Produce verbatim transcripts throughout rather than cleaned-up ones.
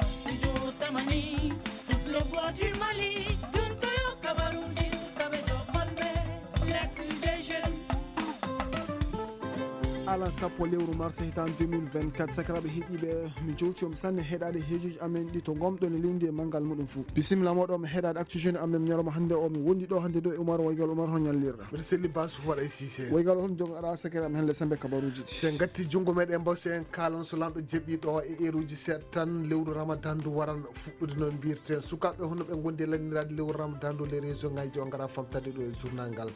Studio Tamani, toute le voix du Mali, donc Kabarundi, Sukabe Jokonbe, l'actu des jeunes. Alan sappo lewru mars hitan deux mille vingt-quatre, sakiraɓe heɗiɓe, mi jowti on sanne heɗade hejuji amen ɗi to gomɗon e leydi e mangal muɗum fou. Bisimilla moɗon mi heɗade actu jeune amen ñalawma hande o, mi wondi ɗo hande ɗo e Umar Waygal. Umar, hon ñallirɗa? Mbiɗa selli Basu Faɗa e Sise. Waygal, hon jogaɗa sakiraɓe amen hande sembe kabaruji ɗi? Se gatti jungo meɗen mbaw, se en kalan so lanɗo jeeɓi ɗo e eruji seeɗa tan, lewru Ramadan ndu waran fuɗɗude noon mbirten. Sukaɓe hono ɓe gondi e lannirade lewru Ramadan ndu, les région ngaji o ngara famtade ɗo e journal ngal.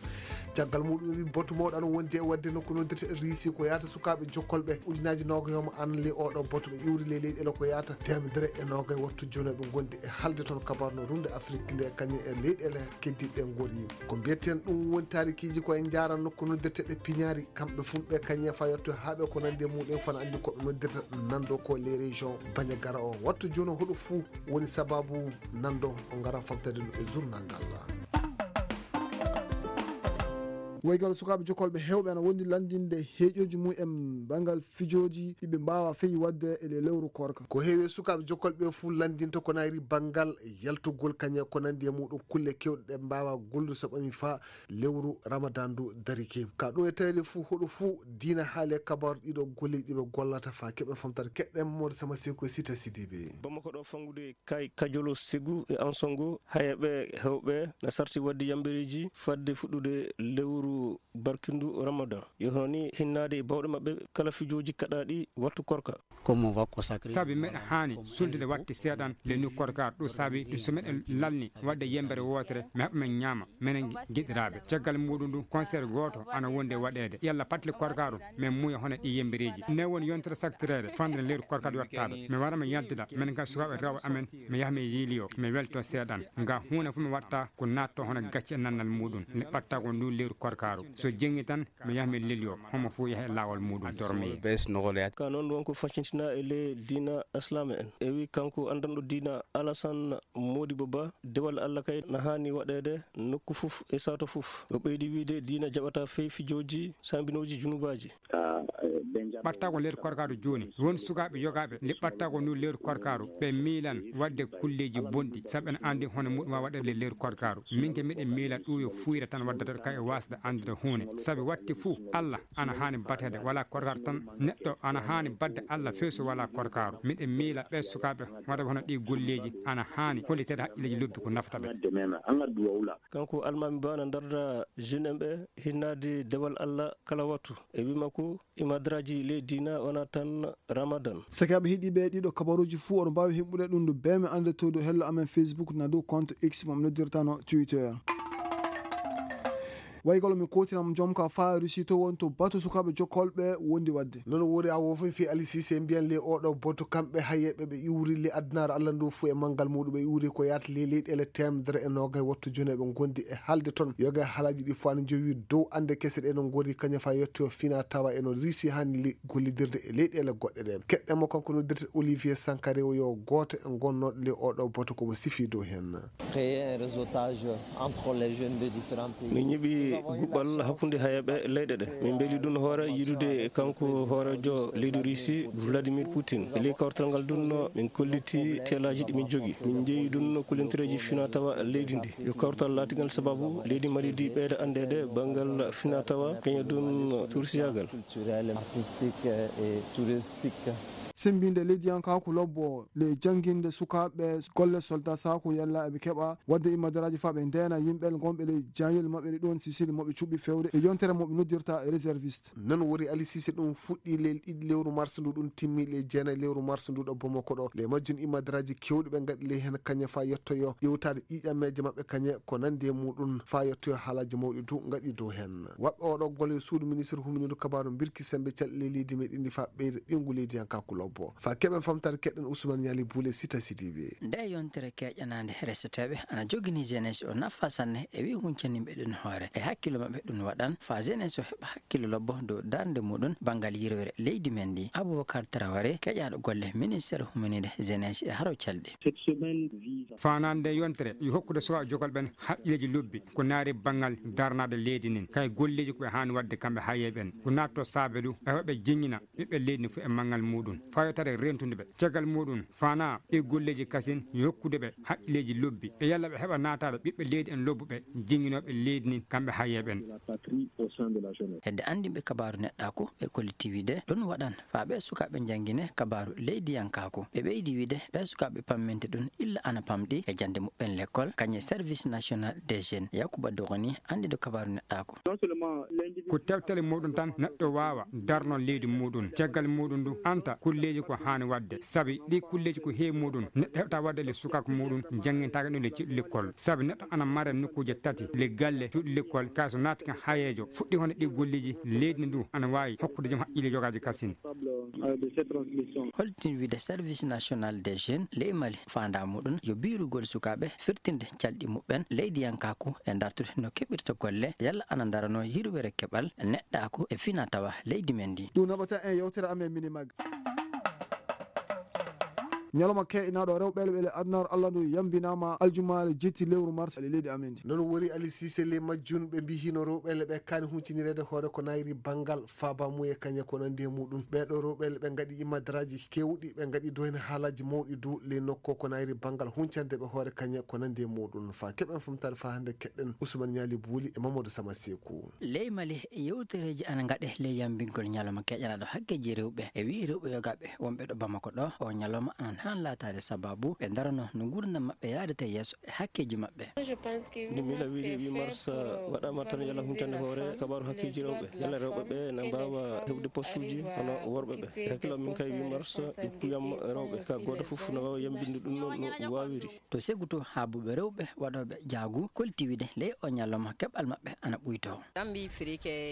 Caggal muɗum wi boto mawɗo ana wondi e wadde nokku noddirte Risi ko yata sukaɓe jokkolɓe ujunaji noga yoma an le oɗo boto ɓe iwri le leyɗele ko yata temedere e noga e wattu jono ɓe gondi e halde toon kabar no runde Afrique nde kañum e leyɗele keddiɗe gori. Ko mbiyeten ɗum woni tarikiji ko en jaran nokku noddirteɗe piñari kamɓe fulɓe kañum e fayotto haaɓe ko nandi e muɗum fana andi koɓe noddirta nando ko les régions baña gara o wattu jono hoɗo fou woni sababu nando o ngara famtade no e journal ngal. Waygal sukaɓe jokolɓe hewɓe ana wondi landinde heeƴoji mum en bangal fijoji ɗiɓe mbawa feyi wadde e le lewru korka. Ko heewi sukaɓe jokolɓe fuu landinta ko nayri bangal yaltugol kañe ko nandi e muɗum kulle kewɗe ɗe mbawa gollude so ɓami fa lewru ramadan ndu darike ka ɗum e tawede fuu hoɗo fuu diina haali e kabaru ɗiɗo golleji ɗiɓe gollata fa keɓe famtata keɗɗen mode sama seko e sita sidibe. Bamako ɗo fangude kay kajolo segu e ansongo haya ɓe hewɓe na sarti wadde yambereji fadde fuɗɗude lewru barkindu ramadan yo hono ni hinnaade e bawɗe maɓɓe kala fijooji kaɗaaɗi wattu korka. Sabi meɗen haani sultude watte seeɗan le nu korka ɗo sabi ɗum so meɗen lalni wadde yembere wootere mi haɓa men ñaama menen giɗiraaɓe caggal muɗum ɗum concert gooto ana wonde waɗeede yalla patle korka ɗum min muuya hono ɗi yembereeji nde woni yontere saktireede fandene leydi korka ɗo wattaade mi wara mi yaltida minen kam sukaaɓe rewɓe amen mi yaha mi yiiliyo mi welto seeɗan nga huunde fof mi watta ko natto hono gacce e nannal muɗum nde ɓatta ko ndun lewru korkaru so jengi tan mi yaha mi lelyo homo fof yaha e lawol muɗum dormi. Ka noon won ko faccintinaɗo e ley diina aslama en e wi kanko andanɗo diina alasan modibo ba dewal allah kay na hani waɗede nokku fof e sato fof o ɓeydi wiide diina jaɓata fey fijooji sambinooji junubaji. Ɓattagol leydi korkaaru jooni won sukaaɓe yogaaɓe nde ɓattagol ndu leydi korkaaru ɓe miilan waɗde kulleeji bonɗi sabu ene anndi hono muɗum waawi waɗeede leydi korkaaru min ke miɗen miila ɗum yo fuuyre tan waddata ka e waasde anndude huunde sabu waɗti fuu allah ana haani bateede wala korkaaru tan neɗɗo ana haani baɗde allah feesu wala korkaaru miɗen miila ɓe sukaaɓe waɗa hono ɗi golleeji ana haani holliteede haqqilleeji lobbi ko nafata ɓe. Kanko almaami ba na darda jeune en ɓe hinnaade dewal allah kala wattu e wi makko imadraji ley diina wona tan ramadan. Sakiraaɓe heɗiiɓe ɗiɗo kabaruuji fuu oɗo mbaawi heɓɓude ɗum ndu beeme annde to dow hello amen facebook na dow compte x mo mi noddirtano twitter. Waygol mi kotinam jomka fa rusi to won to batu sukaaɓe jokkolɓe wondi wadde. Nono wori a wofo fi alisise mbiyan le oɗo boto kamɓe hayeɓe ɓe iwri le addunaare allah ndu fu e manngal muɗum ɓe iwri ko yaata le leyɗele temedere e nogay wattu joni eɓe gondi e halde toon yoga e haalaji ɗi fo ana jowi dow ande kese ɗe no gori kaña fa yetto fina tawa e no risi hani le gollidirde e leyɗele goɗɗe ɗen keɗɗe mo kanko noddirte olivier sankare o yo gooto e gonnoɗo le oɗo boto komo sifi dow hen. Créer un réseautage entre les jeunes de différents pays. Min ñiɓi guɓɓal hakkunde hayaɓe leyɗe ɗe min mbeli ɗum hoore yiɗude kanko hoorejo leydi russie vladimir poutine e ley kawtal ngal ɗum min kolliti telaji ɗi min jogi min jeeyi ɗum kollintireji fina tawa leydi ndi yo kawtal laatigal sababu leydi mali ndi ɓeyda anndede banngal fina tawa kaña ɗum tursiyagal. Culturel, artistique et touristique. Sembinde leydiyankaku lobbo le janginde sukaaɓe golle soldat sako yalla eɓe keɓa wadde imadaraaji fa ɓe ndeena yimɓe gonɓe ley jayel maɓɓe ɗe ɗon sisili moɓe cuɓi fewde e yontere moɓe noddirta réserviste. Noon wori alisise ɗum fuɗɗi lel ɗiɗi lewru mars ndu ɗum timmi le jeenayi lewru mars ndu ɗo bomo koɗo le majjum imadaraaji kewɗi ɓe ngaɗi ley heen kañe fa yettoyo ƴewtaade ƴiiƴammeeje maɓɓe kañe ko nandi e muɗum fa yettoyo haalaji mawɗi du ngaɗi dow heen waɓɓe oɗo gole suudu ministre humindu kabaru birki sembe calɗi ley leydi meɗen ndi fa ɓeyde ɓeyngu leydiyankaku lobbo. Bo fa keɓen famtare keɗen Ousmane Niali Boule Sita Sidibe. Nde yontere keƴanaande reseteeɓe ana jogini jeunesse o nafa sanne e wi huncaninɓe ɗum hoore e hakkillo maɓɓe ɗum waɗan fa jeunesse o heɓa hakkillo lobbo dow darnde muɗum banngal yirwere leydi men ndi. Aboubacar Traoré, keƴaaɗo golle ministère humaniiɗe jeunesse e haro calɗi. Faanaande yontere yo hokkude suwaa jogol ɓen haqqilleeji lobbi ko naari banngal darnaade leydi nin kay golleeji ko ɓe haani waɗde kamɓe hayeeɓe ɓen ko naatto saabe du e hoɓe jiññina ɓiɓɓe leydi ndi fof e manngal muɗum fayotare rentude ɓe caggal muɗum faana ɗi golleeji kasin yokkude ɓe haqqilleeji lobbi e yalla ɓe heɓa naataade ɓiɓɓe leydi en lobbuɓe jiññinooɓe leydi ndi kamɓe hayeeɓe ɓen. Hedde anndinɓe kabaaru neɗɗaaku ɓe kolliti wiide ɗum waɗan faa ɓee sukaaɓe njanngine kabaaru leydiyankaaku ɓe ɓeydi wiide ɓee sukaaɓe pammente ɗum illa ana pamɗi e jannde muɓɓen lekkol kañe service national des jeunes yakuba dogoni anndiɗo kabaaru neɗɗaaku. Ko tewtale muɗum tan neɗɗo waawa darno leydi muɗum caggal muɗum ndu anta kulleeji ko haani waɗde sabi ɗi kulleeji ko heewi muɗum neɗɗo heɓta waɗde le sukaaku muɗum janngintaake ɗum le ciɗɗo lekkol sabi neɗɗo ana mare nokkuuje tati le galle cuuɗi lekkol kay so naati kan hayeejo fuɗɗi honde ɗi golleeji leydi ndu ana waawi hokkude joom haqqille yogaaji kasin. Holtin wiide service national des jeunes ley mali faandaa muɗum yo biirugol sukaaɓe firtinde calɗi muɓɓen leydiyankaaku e dartude no keɓirta golle yalla ana darano yirwere keɓal neɗɗaaku e fina tawa leydi men ndi. Ɗum naɓata en yewtere amen minimag. Ñalawma ke'inaaɗo rewɓe elɓe le adunaaru allah ndu yambinaama aljumaare jetti lewru mars e leydi amen ndi. Noon wori ali sise le majjun ɓe mbi hino rewɓe elɓe kaani huncinireede hoore ko nayri banngal faaba muye kañe ko nandi e muɗum ɓeeɗo rewɓe elɓe ngaɗi imadraaji keewɗi ɓe ngaɗi doyne haalaaji mawɗi du ley nokko ko nayri banngal huncande ɓe hoore kañe ko nandi e muɗum fa keɓen famtaade fa hannde keɗɗen usman ñaali buuli e mamadou sama seeku. Ley mali yewtereeji ana ngaɗe ley yambingol ñalawma keƴanaaɗo hakkeeji rewɓe e wii rewɓe yogaaɓe wonɓe ɗo bamako ɗo o ñalawma anan haan laataade sababu ɓe ndarano no nguurndam maɓɓe yaadata yeeso e hakkeeji maɓɓe. Nde miila wiide wi mars waɗama tan yalla huncande hoore kabaru hakkeeji rewɓe yalla rewɓe ɓe na mbawa heɓde postuji hono worɓe ɓe e hakkillo min kay wi mars e kuyam rewɓe ka goto fof na wawa yambinde ɗum no wawiri. To seguto haabuɓe rewɓe waɗoɓe jaagu kolti wiide ley o ñalawma keɓal maɓɓe ana ɓuyto.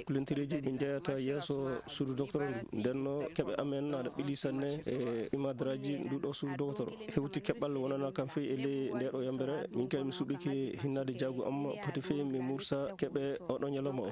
Kulentereji ɓe jeyata yeeso suudu docteur ndenno keɓe amen aɗa ɓili sanne e imadraji nduɗo suudu docteur hewti keɓal wonana kam fey e ley ndeɗo yambere min kay mi suɓike hinnade jaagu am poti fey mi mursa keɓe oɗo ñalawma o.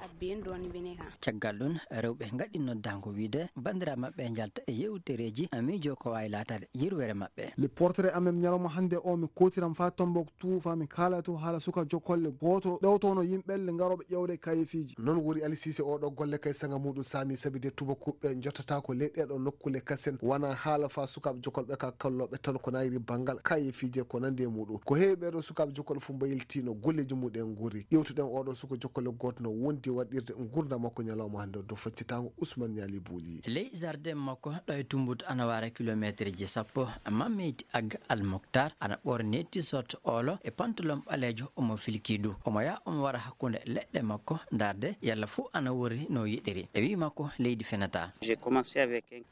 Caggal ɗum rewɓe ngaɗi noddango wiide bandira maɓɓe njalta e yewtereji miijo ko wawi latade yirwere maɓɓe. Le portrait amen ñalawma hannde o mi kotiram fa tombok tu fa mi kala tu haala suka jokolle goto ɗewtono yimɓelle ngaroɓe ƴewde kayefiji. Noon wori alisise oɗo golle kay saga muɗum sami sabi de tubakuɓe jottata ko ley ɗeɗo nokkule kasen wona haala fa sukaɓe jokolɓe ka kalloɓe tan ko nayri banngal kayefiji e ko nandi e muɗum ko heewi ɓeɗo sukaɓe jokolɓe fof mbayiltino golleji muɗum en gori ƴewtuɗen oɗo suka jokolle goto no wondi waɗirde gurdam makko ñalawma hannde o dow faccitago usman ñaali buuli. Ley jardin makko ɗo e tumbutu ana wara kilometre ji sappo mammeyti agga almoktar ana ɓorni t-shirt olo e pantalon ɓaleejo omo filki du omo yaha omo wara hakkunde leɗɗe makko ndarde yalla fuu ana worri no yiɗiri e wi makko leydi fenata.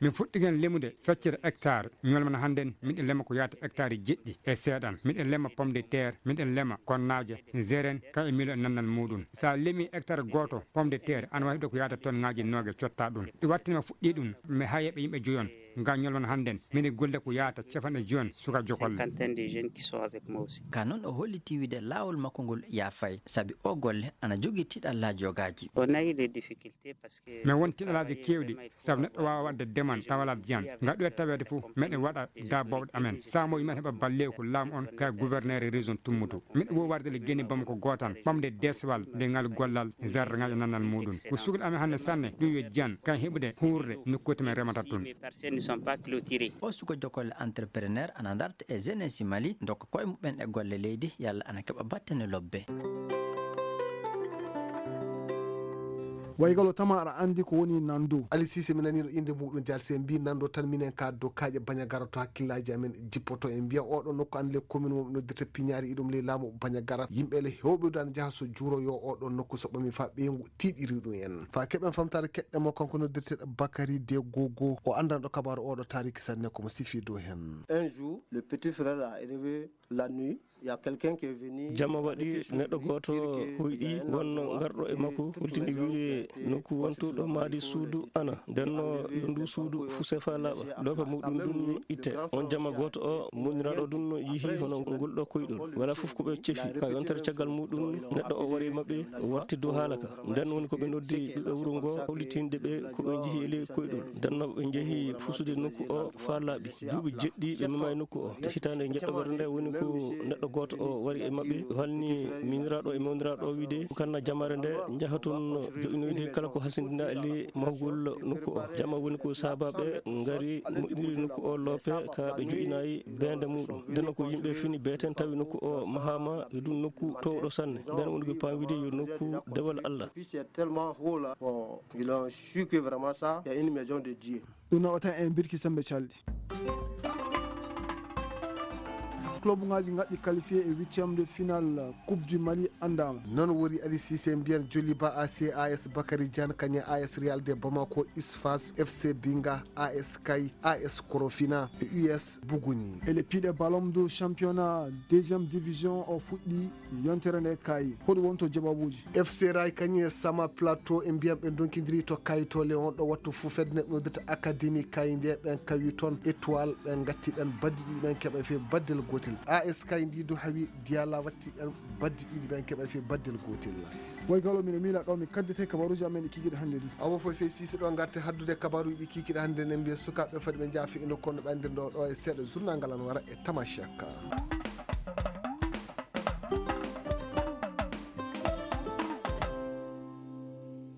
Min fuɗɗiken limude feccere hectare ñolmana hannden miɗen lema ko yaata hectare jeɗɗi e seeɗan miɗen lema pomme de terre miɗen lema konnaaje zeren ka e milo e nannal muɗum sa lemi hectare gooto pomme de terre ana wawi ɗo ko yaata ton ngaji nooge cotta ɗum ɗi wattinima fuɗɗi ɗum mi hayeɓe yimɓe joyon nga ñolwan hannden miɗe golle ko yaata cafanɗe joyon suka jokolle. Ka noon o holliti wiide laawol makko ngol yaafay sabi o golle ana jogii tiɗallaaji yogaaji. Min won tiɗalaaji keewɗi sabu neɗɗo waawa waɗde deman tawa alaa diyan nga ɗoya taweede fof meɗen waɗa daabooɓe amen saamo yimen heɓa balleewu ko laamu on ka gouverneur e région tummutu miɗo wo warde le geni bamako gootan ɓamde deswal nde ngal gollal zardaŋaaji e nannal muɗum ko sukli amen hannde sanne ɗum yo jiyan kan heɓude huurde nokkuuji men remata tun. O suka jokolle entrepreneur ana darta e jeunesse mali dokka koye muɓɓen e golle leydi yalla ana keɓa battane lobbe. Waygalo tama aɗa anndi ko woni nando? Ali sise mi naniɗo innde muɗum jalse mbi nando tan minen ka dow kaaƴe bañagara to hakkillaji amen jippoto en mbiyan oɗo nokku an le commune mo noddirta piñaari iɗum ley laamu bañagara yimɓe le hewɓe dana jaha so juuro yo oɗo nokku so ɓami fa ɓeyngu tiiɗiri ɗum en fa keɓen famtare keɗɗe mo kanko noddirteɗo bakari de gogo o anndanɗo kabaru oɗo tariki sanne komo sifi dow hen. Un jour le petit frère a élevé la nuit. Jama waɗi, neɗɗo gooto hoyɗi, wonno garɗo e makko, hultini wiide nokku wontuɗo maadi suudu ana. Ndenno yo ndu suudu fuse faa laaɓa, loope muɗum ndun itte. On jama gooto o, muñiraaɗo ndun yihi hono ngol ɗo koyɗol. Wala fof ko ɓe cefi. Ka yontere caggal muɗum, neɗɗo o wari e maɓɓe, watti dow haala ka. Nden woni ko ɓe noddi ɓiɓɓe wuro ngo, hawlitinde ɓe ko ɓe njihi e ley koyɗol. Nden no ɓe njehi fusude nokku o faa laaɓi. Duuɓi jeɗɗi ɓe memaay nokku o. Te hitaande njeɗɗoɓere nde woni ko neɗɗo gooto o wari e maɓɓe, halni miñiraaɗo e mawniraaɗo o wiide, kanna jamaare nde njaha toon joƴinoyde kala ko hasindinaa e ley mahugol nokku o. Jama woni ko saabaaɓe ngari moƴƴiniri nokku o loope ka ɓe joƴinaay beende muɗum. Nden ko yimɓe fini beeten tawi nokku o mahaama e ɗum nokku towɗo sanne. Nden woni ko paam wiide yo nokku dewal Allah. Puis c'est tellement haut là, bon, ils ont su que vraiment ça, c'est une maison de Dieu. Ɗum nawata en birki sembe calɗi. Club ngaji ngaɗi qualifié e huitième de finale Coupe du Mali andama. Non wori Ali Cissé mbiyan Joliba A C, A S Bakary Diagne, kañe A S Real de Bamako, Isfas, F C Binga, A S Kay, A S Korofina e U S Buguni. E le piɗe ballon de championnat deuxième division o fuɗɗi yontere nde kay. Hoɗum wonto jawabuuji? F C Ray kañum e Sama Plateau e mbiyam ɓe ndonkidiri to Kayto Léon ɗo wattu fuu fedde neɗɗo noddirta Académie Kay nde ɓen kawi toon Étoile ɓen ngatti ɓen baddi ɗiɗi ɓen keɓa fe baddel gotel. A S Kay ndi du hawi Diala watti ɓen baddi ɗiɗi ɓen keɓa fe baddel gotel. Way galo mine miila ɗo mi kaddete kabaruuji amen ɗi kikiɗe hannde ɗi. Awo foy fey sisi ɗo ngarte haddude kabaruuji ɗi kikiɗe hannde nen mbiya sukaaɓe fadi ɓe njaafi ino kono ɓe anndir ɗo ɗo e seeɗa journal ngal an wara e Tamashek.